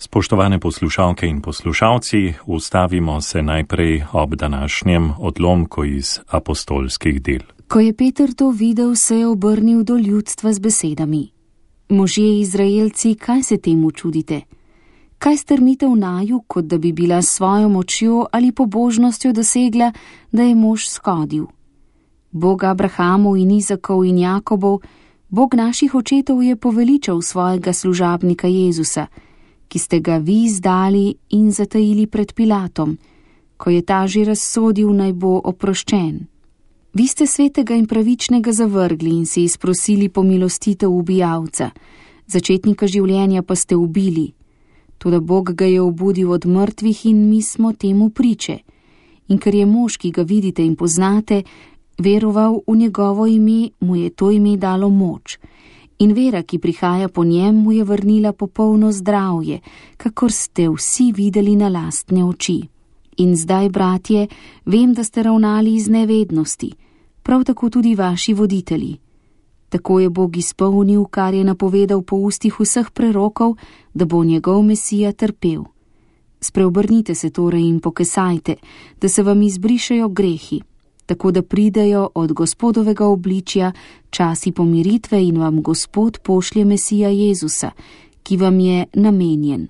Spoštovane poslušalke in poslušalci, ustavimo se najprej ob današnjem odlomku iz apostolskih del. Ko je Peter to videl, se je obrnil do ljudstva z besedami: Možje Izraelci, kaj se temu čudite? Kaj strmite v naju, kot da bi bila s svojo močjo ali pobožnostjo dosegla, da je mož skodil? Bog Abrahamov in Izakov in Jakobov, Bog naših očetov je poveličal svojega služabnika Jezusa, ki ste ga vi izdali in zatajili pred Pilatom, ko je ta že razsodil, naj bo oproščen. Vi ste svetega in pravičnega zavrgli in si izprosili pomilostitev ubijalca, začetnika življenja pa ste ubili. Toda Bog ga je obudil od mrtvih in mi smo temu priče. In ker je mož, ki ga vidite in poznate, veroval v njegovo ime, mu je to ime dalo moč. In vera, ki prihaja po njem, mu je vrnila popolno zdravje, kakor ste vsi videli na lastne oči. In zdaj, bratje, vem, da ste ravnali iz nevednosti, prav tako tudi vaši voditelji. Tako je Bog izpolnil, kar je napovedal po ustih vseh prerokov, da bo njegov Mesija trpel. Spreobrnite se torej in pokesajte, da se vam izbrišejo grehi, tako da pridejo od Gospodovega obličja časi pomiritve in vam Gospod pošlje Mesija Jezusa, ki vam je namenjen.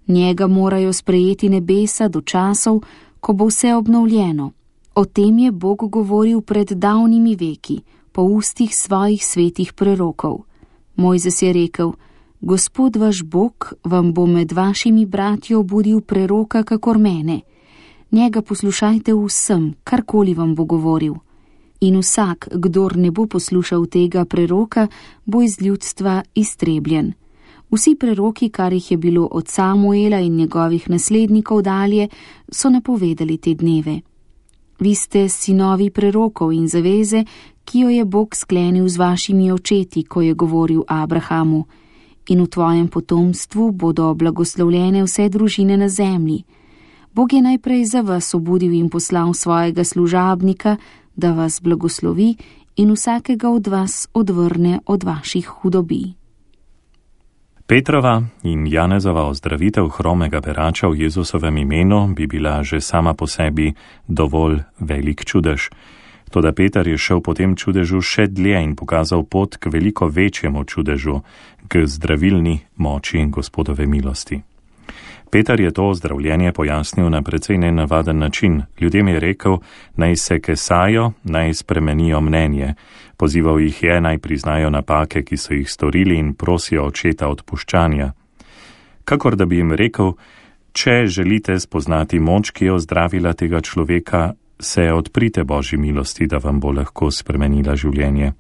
Njega morajo sprejeti nebesa do časov, ko bo vse obnovljeno. O tem je Bog govoril pred davnimi veki, po ustih svojih svetih prerokov. Mojzes je rekel: Gospod vaš Bog vam bo med vašimi bratji obudil preroka kakor mene. Njega poslušajte vsem, karkoli vam bo govoril. In vsak, kdor ne bo poslušal tega preroka, bo iz ljudstva iztrebljen. Vsi preroki, kar jih je bilo od Samuela in njegovih naslednikov dalje, so napovedali te dneve. Vi ste sinovi prerokov in zaveze, ki jo je Bog sklenil z vašimi očeti, ko je govoril Abrahamu: In v tvojem potomstvu bodo blagoslovljene vse družine na zemlji. Bog je najprej za vas obudil in poslal svojega služabnika, da vas blagoslovi in vsakega od vas odvrne od vaših hudobij. Petrova in Janezova ozdravitev hromega berača v Jezusovem imenu bi bila že sama po sebi dovolj velik čudež. Toda Peter je šel po tem čudežu še dlje in pokazal pot k veliko večjemu čudežu, k zdravilni moči Gospodove milosti. Peter je to ozdravljenje pojasnil na precej nenavaden način. Ljudem je rekel, naj se kesajo, naj spremenijo mnenje. Pozival jih je, naj priznajo napake, ki so jih storili, in prosijo očeta odpuščanja. Kakor da bi jim rekel, če želite spoznati moč, ki je ozdravila tega človeka, se odprite Božji milosti, da vam bo lahko spremenila življenje.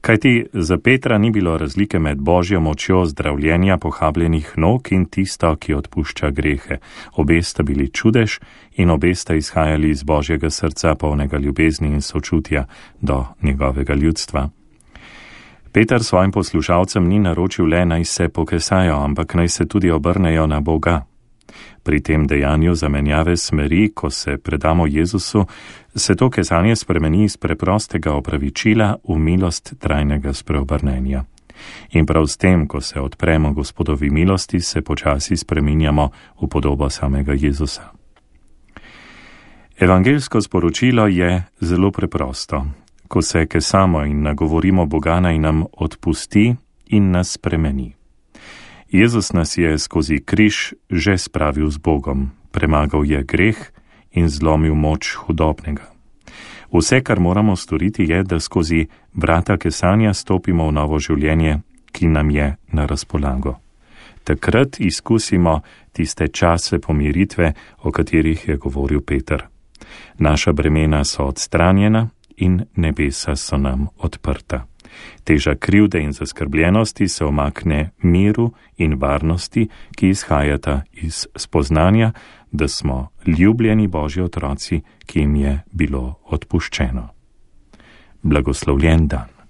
Kajti za Petra ni bilo razlike med Božjo močjo zdravljenja pohabljenih nog in tisto, ki odpušča grehe. Obe sta bili čudež in obe sta izhajali iz Božjega srca, polnega ljubezni in sočutja do njegovega ljudstva. Peter svojim poslušalcem ni naročil le, naj se pokesajo, ampak naj se tudi obrnejo na Boga. Pri tem dejanju zamenjave smeri, ko se predamo Jezusu, se to kesanje spremeni iz preprostega opravičila v milost trajnega spreobrnenja. In prav s tem, ko se odpremo Gospodovi milosti, se počasi spreminjamo v podobo samega Jezusa. Evangeljsko sporočilo je zelo preprosto. Ko se kesamo in nagovorimo Boga, naj nam odpusti in nas spremeni. Jezus nas je skozi križ že spravil z Bogom, premagal je greh in zlomil moč hudobnega. Vse, kar moramo storiti, je, da skozi vrata kesanja stopimo v novo življenje, ki nam je na razpolago. Takrat izkusimo tiste čase pomiritve, o katerih je govoril Peter. Naša bremena so odstranjena in nebesa so nam odprta. Teža krivde in zaskrbljenosti se omakne miru in varnosti, ki izhajata iz spoznanja, da smo ljubljeni Božji otroci, ki jim je bilo odpuščeno. Blagoslovljen dan.